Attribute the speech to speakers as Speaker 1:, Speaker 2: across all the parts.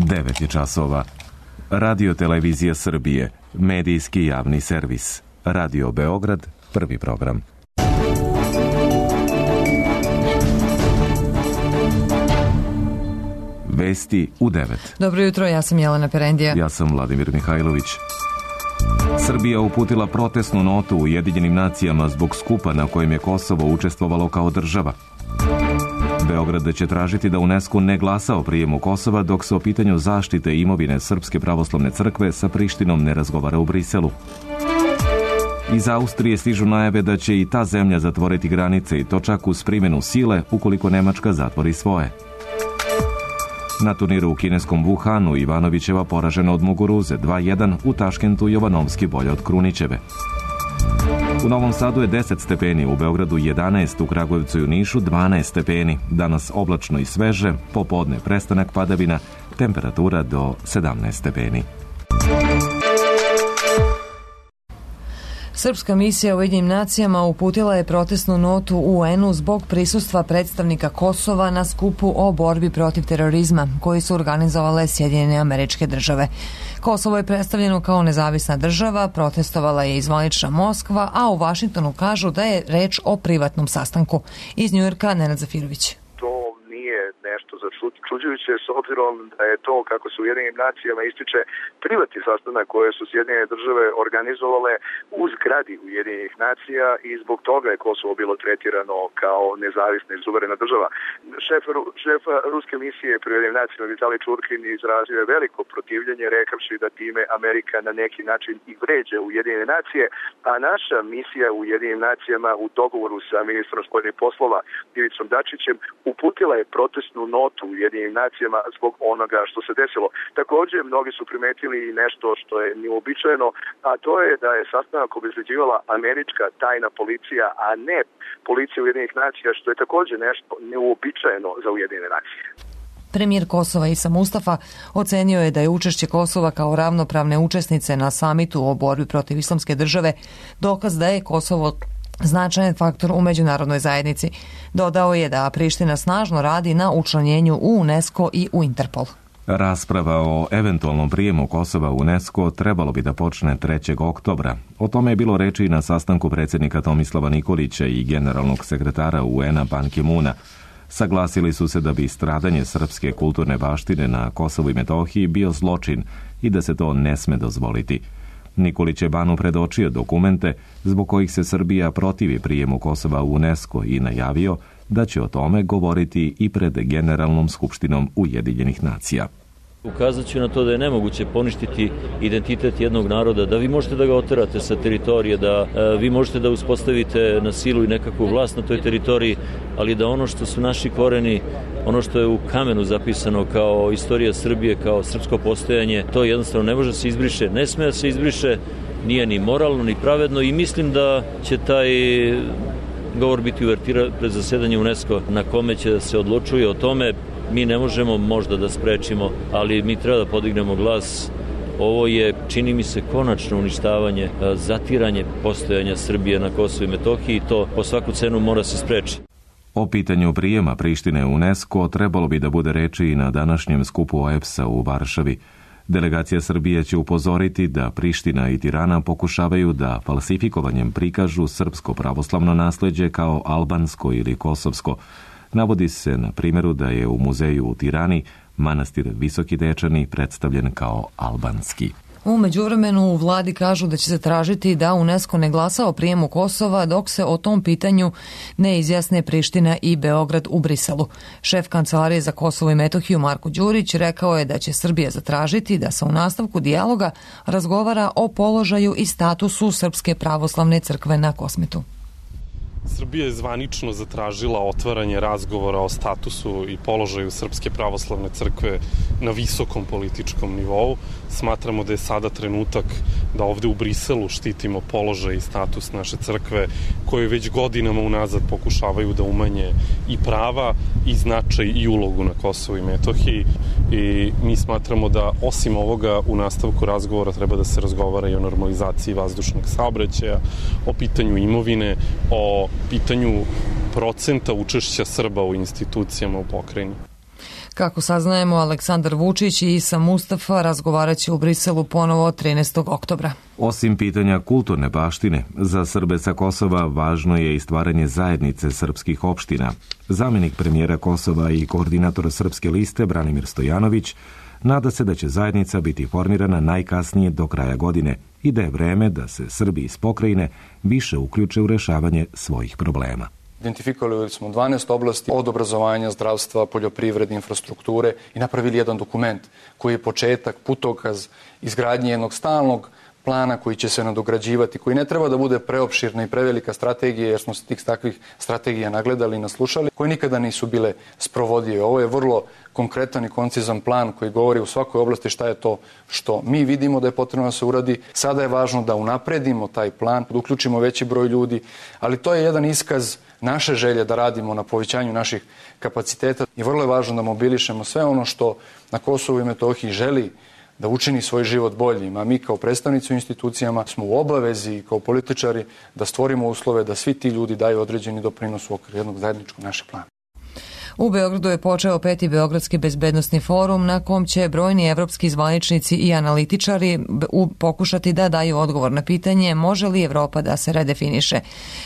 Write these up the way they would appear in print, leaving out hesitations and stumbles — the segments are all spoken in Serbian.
Speaker 1: 9 je časova. Radio Televizija Srbije, medijski javni servis. Radio Beograd, prvi program. Vesti u 9.
Speaker 2: Dobro jutro, ja sam Jelena Perendija.
Speaker 1: Ja sam Vladimir Mihajlović. Srbija uputila protestnu notu Ujedinjenim nacijama zbog skupa na kojem je Kosovo učestvovalo kao država. Beograd će tražiti da UNESCO ne glasa o prijemu Kosova dok se o pitanju zaštite imovine Srpske pravoslavne crkve sa Prištinom ne razgovara u Briselu. Iz Austrije stižu najave da će i ta zemlja zatvoriti granice i to čak uz primjenu sile ukoliko Nemačka zatvori svoje. Na turniru u kineskom Wuhanu Ivanovićeva poražena od Muguruze 2-1, u Taškentu Jovanovski bolje od Krunićeve. U Novom Sadu je 10 stepeni, u Beogradu 11, u Kragujevcu i u Nišu 12 stepeni. Danas oblačno i sveže, popodne prestanak padavina, temperatura do 17 stepeni.
Speaker 2: Srpska misija u Ujedinjenim nacijama uputila je protestnu notu UN-u zbog prisustva predstavnika Kosova na skupu o borbi protiv terorizma koji su organizovale Sjedinjene Američke Države. Kosovo je predstavljeno kao nezavisna država, protestovala je i zvanična Moskva, a u Vašingtonu kažu da je reč o privatnom sastanku. Iz Njujorka Nenad Zafirović.
Speaker 3: Nešto začuđujuće s obzirom da je to, kako se u Ujedinjenim nacijama ističe, privatni sastanak koje su Sjedinjene države organizovale u zgradi Ujedinjenih nacija i zbog toga je Kosovo bilo tretirano kao nezavisna i suverena država. Šef ruske misije pri Ujedinjenim nacijama Vitalij Čurkin izrazio je veliko protivljenje rekavši da time Amerika na neki način i vređa Ujedinjene nacije, a naša misija u Ujedinjenim nacijama u dogovoru sa ministrom spoljnih poslova Ivicom Dačićem uputila je protestnu notu u Ujedinjenim nacijama zbog onoga što se desilo. Također, mnogi su primetili nešto što je neuobičajeno, a to je da je sastanak obezbeđivala američka tajna policija, a ne policija Ujedinjenih nacija, što je također nešto neuobičajeno za Ujedinjene nacije.
Speaker 2: Premijer Kosova Isa Mustafa ocenio je da je učešće Kosova kao ravnopravne učesnice na samitu o borbi protiv islamske države dokaz da je Kosovo značajan faktor u međunarodnoj zajednici. Dodao je da Priština snažno radi na učlanjenju u UNESCO i u Interpol.
Speaker 1: Rasprava o eventualnom prijemu Kosova u UNESCO trebalo bi da počne 3. oktobra. O tome je bilo reči i na sastanku predsjednika Tomislava Nikolića i generalnog sekretara UN-a Ban Ki-moona. Saglasili su se da bi stradanje srpske kulturne baštine na Kosovu i Metohiji bio zločin i da se to ne sme dozvoliti. Nikolić je Banu predočio dokumente zbog kojih se Srbija protivi prijemu Kosova u UNESCO i najavio da će o tome govoriti i pred Generalnom skupštinom Ujedinjenih nacija.
Speaker 4: Ukazat ću na to da je nemoguće poništiti identitet jednog naroda, da vi možete da ga oterate sa teritorije, da vi možete da uspostavite na silu i nekakvu vlast na toj teritoriji, ali da ono što su naši koreni, ono što je u kamenu zapisano kao istorija Srbije, kao srpsko postojanje, to jednostavno ne može se izbriše, ne sme da se izbriše, nije ni moralno, ni pravedno i mislim da će taj govor biti uvertira pred zasedanje UNESCO na kome će da se odlučuje o tome. Mi ne možemo možda da sprečimo, ali mi treba da podignemo glas. Ovo je, čini mi se, konačno uništavanje, zatiranje postojanja Srbije na Kosovu i Metohiji i to po svaku cenu mora se sprečiti.
Speaker 1: O pitanju prijema Prištine u UNESCO trebalo bi da bude reči i na današnjem skupu OEBS-a u Varšavi. Delegacija Srbije će upozoriti da Priština i Tirana pokušavaju da falsifikovanjem prikažu srpsko pravoslavno nasleđe kao albansko ili kosovsko. Navodi se na primjeru da je u muzeju u Tirani manastir Visoki Dečani predstavljen kao albanski.
Speaker 2: U međuvremenu u vladi kažu da će se tražiti da UNESCO ne glasa o prijemu Kosova dok se o tom pitanju ne izjasne Priština i Beograd u Briselu. Šef Kancelarije za Kosovo i Metohiju Marko Đurić rekao je da će Srbija zatražiti da se u nastavku dijaloga razgovara o položaju i statusu Srpske pravoslavne crkve na Kosmetu.
Speaker 5: Srbija je zvanično zatražila otvaranje razgovora o statusu i položaju Srpske pravoslavne crkve na visokom političkom nivou. Smatramo da je sada trenutak da ovde u Briselu štitimo položaj i status naše crkve koje već godinama unazad pokušavaju da umanje i prava i značaj i ulogu na Kosovu i Metohiji. I mi smatramo da osim ovoga u nastavku razgovora treba da se razgovara i o normalizaciji vazdušnog saobraćaja, o pitanju imovine, o pitanju procenta učešća Srba u institucijama u pokrajini.
Speaker 2: Kako saznajemo, Aleksandar Vučić i Isa Mustafa razgovaraće u Briselu ponovo 13. oktobra.
Speaker 1: Osim pitanja kulturne baštine, za Srbe sa Kosova važno je i stvaranje zajednice srpskih opština. Zamenik premijera Kosova i koordinator Srpske liste Branimir Stojanović nada se da će zajednica biti formirana najkasnije do kraja godine i da je vreme da se Srbi iz pokrajine više uključe u rešavanje svojih problema.
Speaker 6: Identifikovali smo 12 oblasti od obrazovanja, zdravstva, poljoprivrede, infrastrukture i napravili jedan dokument koji je početak, putokaz izgradnje jednog stalnog plana koji će se nadograđivati, koji ne treba da bude preopširna i prevelika strategija, jer smo se tih takvih strategija nagledali i naslušali, koje nikada nisu bile sprovodive. Ovo je vrlo konkretan i koncizan plan koji govori u svakoj oblasti šta je to što mi vidimo da je potrebno da se uradi. Sada je važno da unapredimo taj plan, da uključimo veći broj ljudi, ali to je jedan iskaz naše želje da radimo na povećanju naših kapaciteta i vrlo je važno da mobilišemo sve ono što na Kosovu i Metohiji želi da učini svoj život boljim, a mi kao predstavnici u institucijama smo u obavezi kao političari da stvorimo uslove da svi ti ljudi daju određeni doprinos u okviru jednog zajedničkog našeg plana.
Speaker 2: U Beogradu je počeo 5. Beogradski bezbednosni forum na kom će brojni evropski zvaničnici i analitičari pokušati da daju odgovor na pitanje može li Evropa da se redefiniše.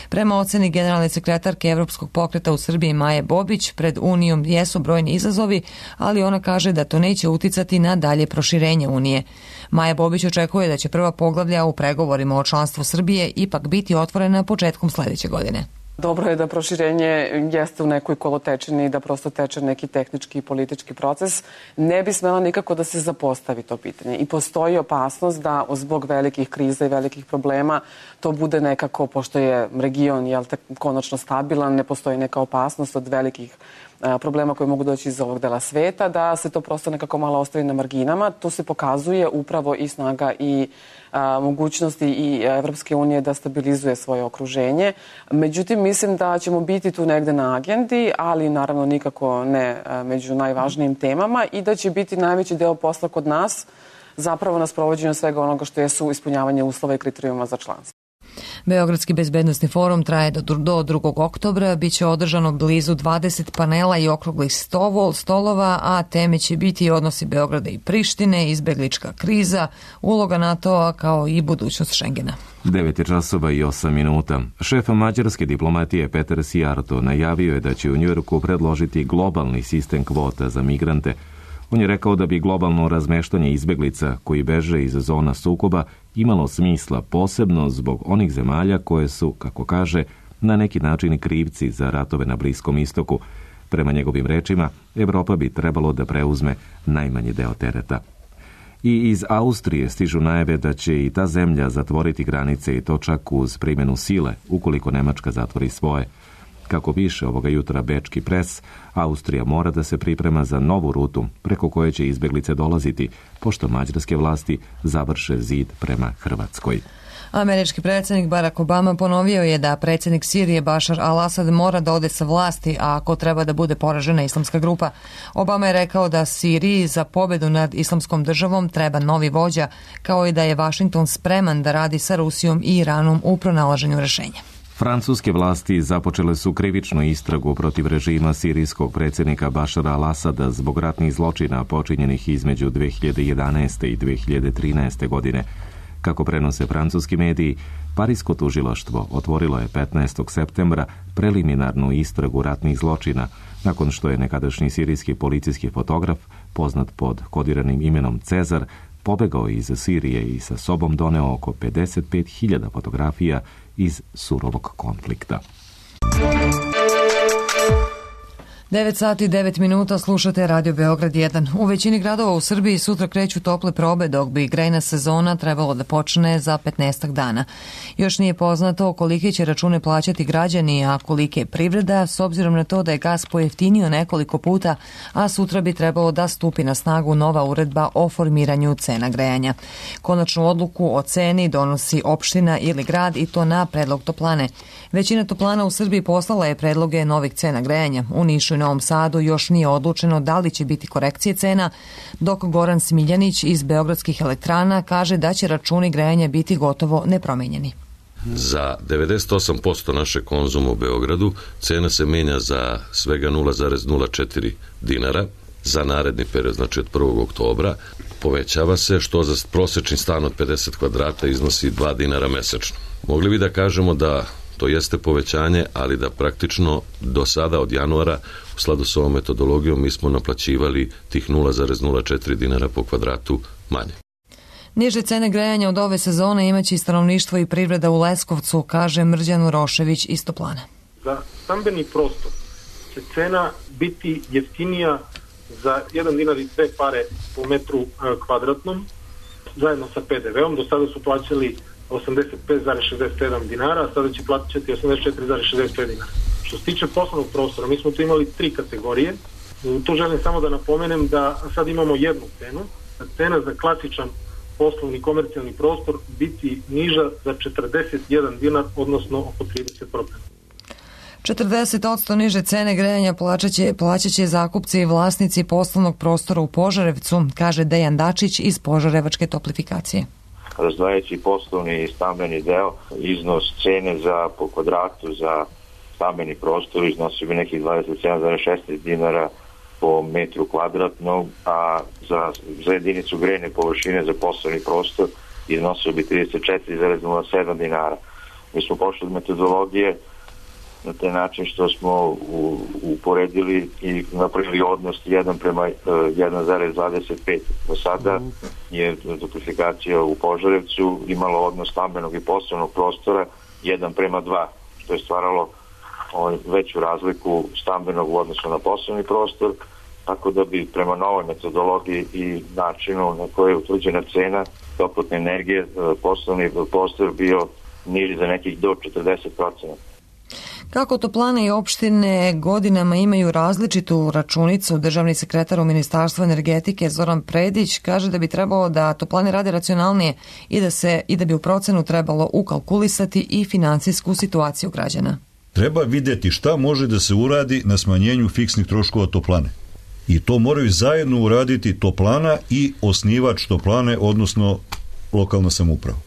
Speaker 2: Prema oceni generalne sekretarke Evropskog pokreta u Srbiji Maje Bobić, pred Unijom jesu brojni izazovi, ali ona kaže da to neće uticati na dalje proširenje Unije. Maja Bobić očekuje da će prva poglavlja u pregovorima o članstvu Srbije ipak biti otvorena početkom sledeće godine.
Speaker 7: Dobro je da proširenje jeste u nekoj kolotečini i da prosto teče neki tehnički i politički proces. Ne bi smela nikako da se zapostavi to pitanje. I postoji opasnost da zbog velikih kriza i velikih problema to bude nekako, pošto je region konačno stabilan, ne postoji neka opasnost od velikih problema koji mogu doći iz ovog dela sveta, da se to prosto nekako malo ostavi na marginama. Tu se pokazuje upravo i snaga i mogućnosti i Evropske unije da stabilizuje svoje okruženje. Međutim, mislim da ćemo biti tu negde na agendi, ali naravno nikako ne među najvažnijim temama i da će biti najveći deo posla kod nas zapravo na sprovođenju svega onoga što jesu ispunjavanje uslova i kriterijuma za članstvo.
Speaker 2: Beogradski bezbednosni forum traje do 2. oktobra, biće održano blizu 20 panela i okruglih stolova, a teme će biti odnosi Beograda i Prištine, izbeglička kriza, uloga NATO-a kao i budućnost Šengena.
Speaker 1: 9:08. Šef mađarske diplomatije Peter Sijarto najavio je da će u Njujorku predložiti globalni sistem kvota za migrante. On je rekao da bi globalno razmeštanje izbeglica koji beže iz zona sukoba imalo smisla posebno zbog onih zemalja koje su, kako kaže, na neki način krivci za ratove na Bliskom istoku. Prema njegovim rečima, Evropa bi trebalo da preuzme najmanji deo tereta. I iz Austrije stižu najave da će i ta zemlja zatvoriti granice i to čak uz primjenu sile, ukoliko Nemačka zatvori svoje. Kako piše ovoga jutra bečki pres, Austrija mora da se priprema za novu rutu preko koje će izbeglice dolaziti, pošto mađarske vlasti završe zid prema Hrvatskoj.
Speaker 2: Američki predsjednik Barack Obama ponovio je da predsjednik Sirije Bashar al-Assad mora da ode sa vlasti, a ako treba da bude poražena islamska grupa. Obama je rekao da Siriji za pobedu nad islamskom državom treba novi vođa, kao i da je Washington spreman da radi sa Rusijom i Iranom u pronalaženju rešenja.
Speaker 1: Francuske vlasti započele su krivičnu istragu protiv režima sirijskog predsjednika Bašara al-Asada zbog ratnih zločina počinjenih između 2011. i 2013. godine. Kako prenose francuski mediji, Parisko tužilaštvo otvorilo je 15. septembra preliminarnu istragu ratnih zločina, nakon što je nekadašnji sirijski policijski fotograf, poznat pod kodiranim imenom Cezar, pobegao iz Sirije i sa sobom doneo oko 55.000 fotografija iz surovog konflikta.
Speaker 2: 9:09, slušate Radio Beograd 1. U većini gradova u Srbiji sutra kreću tople probe, dok bi grejna sezona trebalo da počne za 15 dana. Još nije poznato kolike će račune plaćati građani, a kolike je privreda, s obzirom na to da je gas pojeftinio nekoliko puta, a sutra bi trebalo da stupi na snagu nova uredba o formiranju cena grejanja. Konačnu odluku o ceni donosi opština ili grad i to na predlog toplane. Većina toplana u Srbiji poslala je predloge novih cena grejanja. U Nišu i Novom Sadu još nije odlučeno da li će biti korekcije cena, dok Goran Smiljanić iz Beogradskih elektrana kaže da će računi grejanja biti gotovo nepromenjeni.
Speaker 8: Za 98% naše konzuma u Beogradu cena se menja za svega 0,04 dinara, za naredni period, znači od 1. oktobra, povećava se, što za prosečni stan od 50 kvadrata iznosi 2 dinara mesečno. Mogli bi da kažemo da to jeste povećanje, ali da praktično do sada od januara u skladu s ovom metodologijom mi smo naplaćivali tih 0,04 dinara po kvadratu manje.
Speaker 2: Niže cene grejanja od ove sezone imaće i stanovništvo i privreda u Leskovcu, kaže Mrđan Urošević iz Toplana.
Speaker 9: Za stambeni prostor će cena biti jeftinija za 1 dinar i 2 pare po metru kvadratnom, zajedno sa PDV-om. Do sada su plaćali 85,67 dinara, a sada će plaćati 84,65 dinara. Što se tiče poslovnog prostora, mi smo tu imali 3 kategorije. Tu želim samo da napomenem da sad imamo jednu cenu. Cena za klasičan poslovni komercijalni prostor biti niža za 41 dinar, odnosno oko 30%.
Speaker 2: 40% niže cene grejanja plaćat će zakupci i vlasnici poslovnog prostora u Požarevcu, kaže Dejan Dačić iz Požarevačke toplifikacije.
Speaker 10: Razdvajajući poslovni i stambeni deo, iznos cene po kvadratu za stambeni prostor iznosi bi nekih 27,16 dinara po metru kvadratnog, a za jedinicu grejne površine za poslovni prostor iznosio bi 34,07 dinara. Mi smo pošli od metodologije na taj način što smo uporedili i napravili odnos 1 prema 1,25. Do sada je toplifikacija u Požarevcu imala odnos stambenog i poslovnog prostora 1 prema 2, što je stvaralo veću razliku stambenog u odnosu na poslovni prostor, tako da bi prema novoj metodologiji i načinu na koje je utvrđena cena toplotne energije poslovni prostor bio niži za nekih do 40%.
Speaker 2: Kako toplane i opštine godinama imaju različitu računicu, državni sekretar u Ministarstvu energetike Zoran Predić kaže da bi trebalo da toplane rade racionalnije i da bi u procenu trebalo ukalkulisati i finansijsku situaciju građana.
Speaker 11: Treba videti šta može da se uradi na smanjenju fiksnih troškova toplane. I to moraju zajedno uraditi toplana i osnivač toplane, odnosno lokalna samouprava.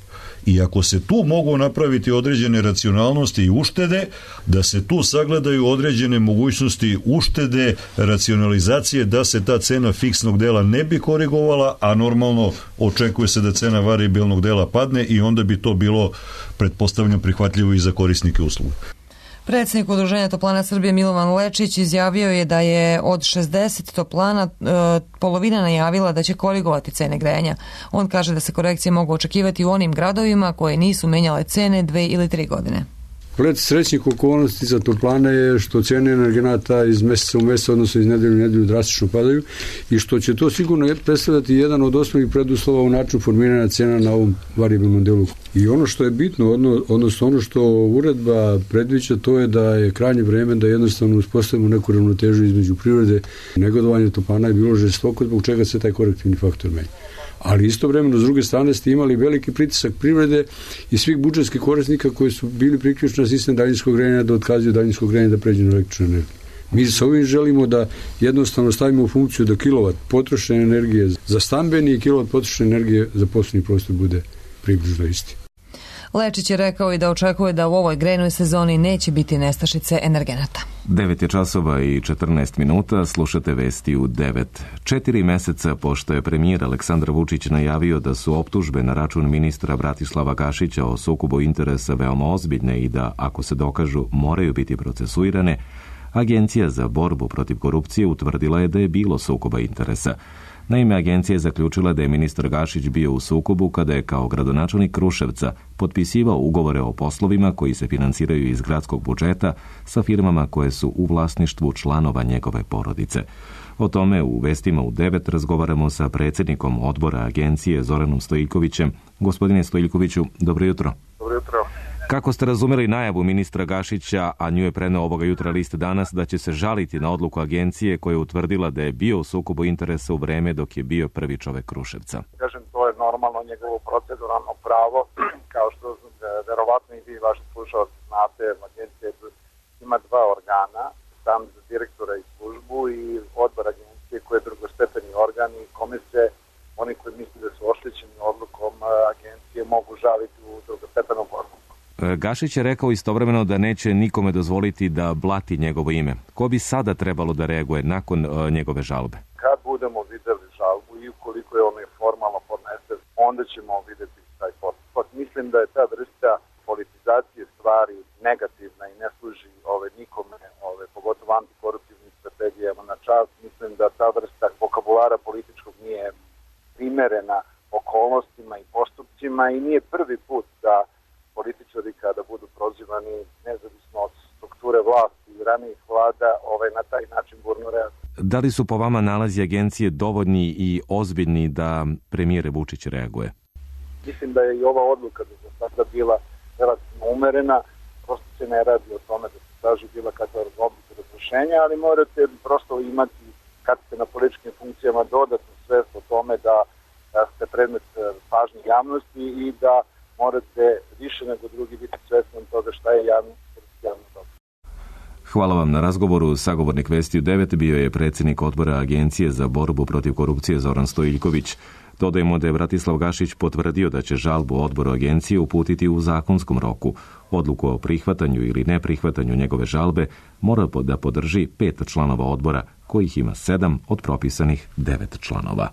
Speaker 11: I ako se tu mogu napraviti određene racionalnosti i uštede, da se tu sagledaju određene mogućnosti uštede, racionalizacije, da se ta cena fiksnog dela ne bi korigovala, a normalno očekuje se da cena variabilnog dela padne i onda bi to bilo, pretpostavljam, prihvatljivo i za korisnike usluga.
Speaker 2: Predsjednik Udruženja toplana Srbije Milovan Lečić izjavio je da je od 60 toplana polovina najavila da će korigovati cene grejanja. On kaže da se korekcije mogu očekivati u onim gradovima koje nisu menjale cene 2 ili 3 godine.
Speaker 12: Pored srećnih okolnosti za toplane je što cene energenata iz meseca u mesec, odnosno iz nedelju u nedelju drastično padaju i što će to sigurno predstavljati jedan od osnovnih preduslova u načinu formiranja cena na ovom variabilnom delu. I ono što je bitno, odnosno ono što uredba predviđa, to je da je krajnje vreme da jednostavno uspostavimo neku ravnotežu između privrede. Negodovanje toplana je bilo žestoko, zbog čega se taj korektivni faktor menja. Ali istovremeno, s druge strane, ste imali veliki pritisak privrede i svih budžetskih korisnika koji su bili priključeni na sistem daljinskog grejanja da otkazuju daljinskog grejanja da pređu na električnu energiju. Mi sa ovim želimo da jednostavno stavimo u funkciju da kilovat potrošene energije za stambeni i kilovat potrošene energije za poslovni prostor bude približno isti.
Speaker 2: Lečić je rekao i da očekuje da u ovoj grejnoj sezoni neće biti nestašice energenata.
Speaker 1: 9 je časova i 14 minuta, slušate vesti u 9. 4 meseca pošto je premijer Aleksandar Vučić najavio da su optužbe na račun ministra Bratislava Gašića o sukobu interesa veoma ozbiljne i da, ako se dokažu, moraju biti procesuirane, Agencija za borbu protiv korupcije utvrdila je da je bilo sukoba interesa. Naime, agencija je zaključila da je ministar Gašić bio u sukobu kada je kao gradonačelnik Kruševca potpisivao ugovore o poslovima koji se finansiraju iz gradskog budžeta sa firmama koje su u vlasništvu članova njegove porodice. O tome u vestima u 9 razgovaramo sa predsjednikom odbora agencije Zoranom Stojiljkovićem. Gospodine Stojiljkoviću, dobro jutro.
Speaker 3: Dobro jutro.
Speaker 1: Kako ste razumeli najavu ministra Gašića, a nju je preneo ovoga jutra List Danas, da će se žaliti na odluku agencije koja je utvrdila da je bio u sukobu interesa u vreme dok je bio prvi čovek Kruševca?
Speaker 3: Kažem, to je normalno njegovo proceduralno pravo, kao što verovatno i vi vaši slušalci znate, agencija ima 2 organa, sam za direktora i službu i odbor agencije koji je drugostepeni organ i kome se oni koji misle da su oštećeni odlukom agencije mogu žaliti u drugostepenom postupku.
Speaker 1: Gašić je rekao istovremeno da neće nikome dozvoliti da blati njegovo ime. Ko bi sada trebalo da reaguje nakon njegove žalbe?
Speaker 3: Kad budemo videli žalbu i ukoliko je ono formalno podnese, onda ćemo videti taj postupak. Mislim da je ta vrsta politizacije stvari negativna i ne služi nikome, pogotovo antikoruptivnim strategijama na čast. Mislim da ta vrsta vokabulara političkog nije primerena okolnostima i postupcima i nije prvi put da političari kada budu prozivani nezavisno od strukture vlasti i ranijih vlada na taj način burno reaguju.
Speaker 1: Da li su po vama nalazi agencije dovoljni i ozbiljni da premijer Vučić reaguje?
Speaker 3: Mislim da je i ova odluka do sada bila relativno umerena, prosto se ne radi o tome da se traži bila kakva odluka razrešenja, ali morate prosto imati, kad ste na političkim funkcijama, dodatnu svest o tome da ste predmet pažnje javnosti i da morate više nego drugi biti svesni toga šta je javno dobro.
Speaker 1: Hvala vam na razgovoru. Sagovornik Vesti u 9 bio je predsjednik odbora Agencije za borbu protiv korupcije Zoran Stojiljković. Dodajemo da je Bratislav Gašić potvrdio da će žalbu odboru agencije uputiti u zakonskom roku. Odluku o prihvatanju ili neprihvatanju njegove žalbe mora da podrži 5 članova odbora, kojih ima 7 od propisanih 9 članova.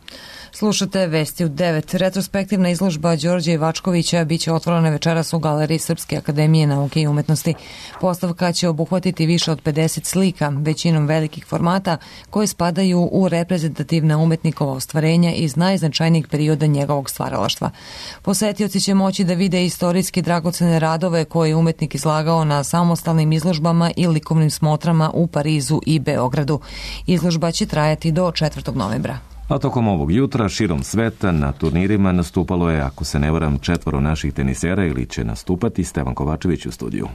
Speaker 2: Slušate Vesti u 9. Retrospektivna izložba Đorđa Ivačkovića biće otvorena večeras u Galeriji Srpske akademije nauke i umetnosti. Postavka će obuhvatiti više od 50 slika, većinom velikih formata, koje spadaju u reprezentativna umetnikova ostvarenja iz najznačajnijih perioda njegovog stvaralaštva. Posetioci će moći da vide istorijski dragocene radove koje je umetnik izlagao na samostalnim izložbama i likovnim smotrama u Parizu i Beogradu. Izložba će trajati do 4. novembra.
Speaker 1: A tokom ovog jutra širom sveta na turnirima nastupalo je, ako se ne varam, 4 naših tenisera ili će nastupati. Stevan Kovačević u studiju.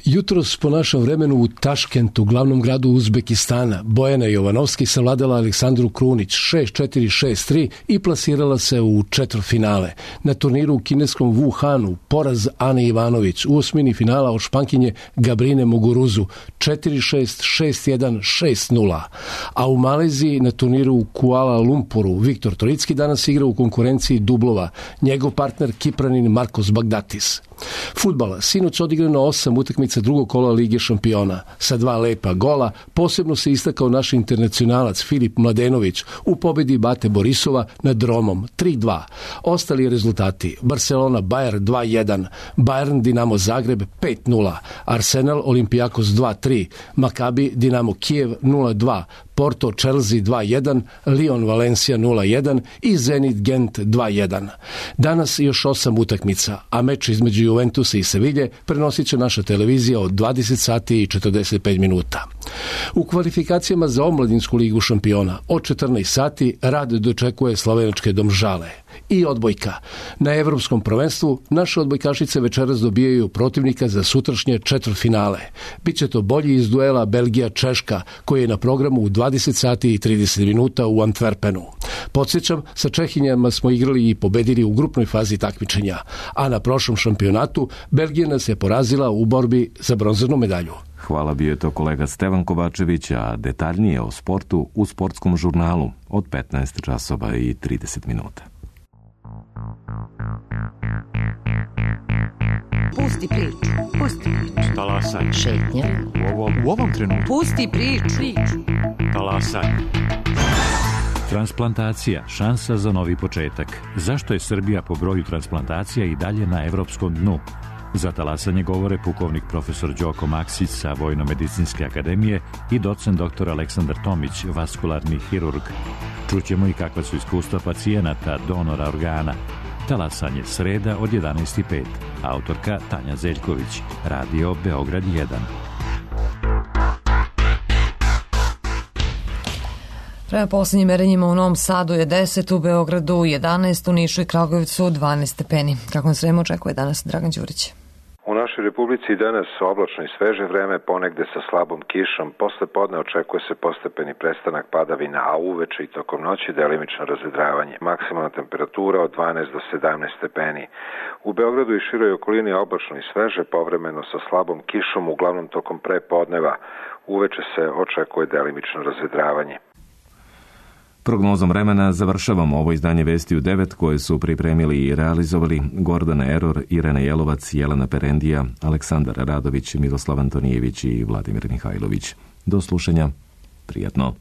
Speaker 13: Jutros po našem vremenu u Taškentu, glavnom gradu Uzbekistana, Bojana Jovanovski savladala Aleksandru Krunić 6-4, 6-3 i plasirala se u četvrtfinale. Na turniru u kineskom Wuhanu poraz Ane Ivanović u osmini finala od Špankinje Gabrine Muguruzu 4-6, 6-1, 6-0. A u Maleziji na turniru u Kuala Lumpuru Viktor Toricki danas igra u konkurenciji dublova. Njegov partner Kipranin Markos Bagdatis. Fudbala, sinoć odigrano 8 utakmica drugog kola Lige šampiona. Sa 2 lepa gola, posebno se istakao naš internacionalac Filip Mladenović u pobedi Bate Borisova nad Romom 3-2. Ostali rezultati: Barcelona Bayern 2-1, Bayern Dinamo Zagreb 5-0, Arsenal Olympiakos 2-3, Maccabi Dinamo Kijev 0-2, Porto Chelsea 2-1, Lyon Valencia 0-1 i Zenit Gent 2-1. Danas još 8 utakmica, a meč između Juventusa i Sevilje prenosit će naša televizija od 20 sati i 45 minuta. U kvalifikacijama za omladinsku ligu šampiona od 14 sati Rad dočekuje slovenačke Domžale. I odbojka. Na evropskom prvenstvu naše odbojkašice večeras dobijaju protivnika za sutrašnje četvrtfinale. Biće to bolji iz duela Belgija-Češka, koji je na programu u 20 sati i 30 minuta u Antwerpenu. Podsjećam, sa Čehinjama smo igrali i pobedili u grupnoj fazi takmičenja, a na prošlom šampionatu Belgija nas je porazila u borbi za bronzanu medalju.
Speaker 1: Hvala, bio je to kolega Stevan Kovačević, a detaljnije o sportu u sportskom žurnalu od 15 časova i 30 minuta.
Speaker 14: Pusti priču.
Speaker 15: Talasaj.
Speaker 14: Šetnja.
Speaker 15: U ovom trenutku.
Speaker 14: Pusti priču.
Speaker 15: Talasaj.
Speaker 16: Transplantacija, šansa za novi početak. Zašto je Srbija po broju transplantacija i dalje na evropskom dnu? Za talasanje govore pukovnik profesor Đoko Maksić sa Vojno-medicinske akademije i docent dr. Aleksandar Tomić, vaskularni hirurg. Čućemo i kakva su iskustva pacijenata, donora organa. Talasanje sreda od 11:05. Autorka Tanja Zeljković. Radio Beograd 1.
Speaker 2: Prema posljednjim merenjima u Novom Sadu je 10, u Beogradu 11, u Nišu i Kragujevcu 12 stepeni. Kako nas vreme očekuje danas, Dragan Đurić?
Speaker 17: U našoj Republici danas oblačno i sveže vreme, ponegde sa slabom kišom. Posle podne očekuje se postepeni prestanak padavina, a uveče i tokom noći delimično razvedravanje. Maksimalna temperatura od 12 do 17 stepeni. U Beogradu i široj okolini oblačno i sveže, povremeno sa slabom kišom, uglavnom tokom prepodneva. Uveče se očekuje delimično razvedravanje.
Speaker 1: Prognozom vremena završavamo ovo izdanje Vesti u 9 koje su pripremili i realizovali Gordana Eror, Irena Jelovac, Jelena Perendija, Aleksandar Radović, Miroslav Antonijević i Vladimir Mihajlović. Do slušanja. Prijatno.